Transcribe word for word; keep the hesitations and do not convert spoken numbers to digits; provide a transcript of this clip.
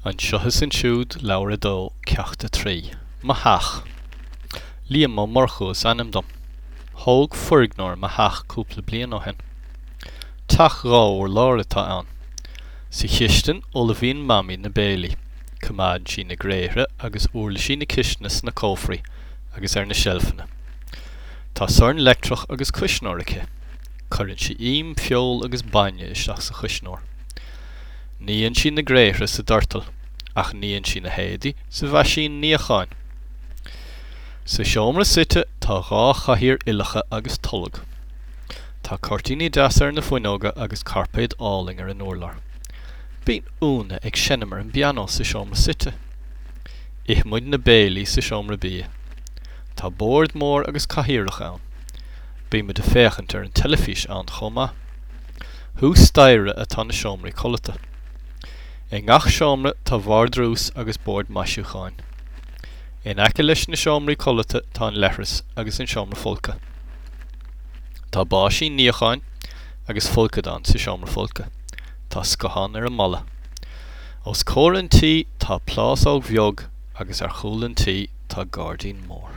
Anseo is Ansiúd, Leabhar a Dó, Ceacht a Trí. Mo Theach. Liam Ó Murchú is ainm dom. Thóg foirgneoir mo theach cúpla bliain ó shin. Teach dhá urlár atá ann. Sa chistin ullmhaíonn Mamaí na béilí. Coimeádann sí na gréithre agus uirlisí na cistine sna cófraí agus ar na seilfeanna. Tá sorn leictreach agus cuisneoir aici. Cuireann sí im, feoil agus bainne isteach sa chuisneoir. Níonn sí na gréithre sa doirteal, ach níonn sí na héadaí sa mheaisín níocháin. Sa seomra suite tá dhá chathaoir uilleacha agus tolg. Tá cuirtíní deasa ar na fuinneoga agus cairpéad álainn ar an urlár. Bíonn Úna ag seinm ar an bpianó sa seomra suite. Ithimid na béilí sa seomra bia. Tá bord mór agus cathaoireacha ann. Bímid ag féachaint ar an teilifís ann chomh maith. Thuas staighre atá na seomraí codlata. I ngach seomra tá vardrús agus bord maisiúcháin. In aice leis na seomraí codlata tá an leithreas agus an seomra folctha. Tá báisín níocháin agus folcadán sa seomra folctha. Tá scathán ar an mballa. Os comhair an tí tá plásóg bheag agus ar chúl an tí tá gairdín mór.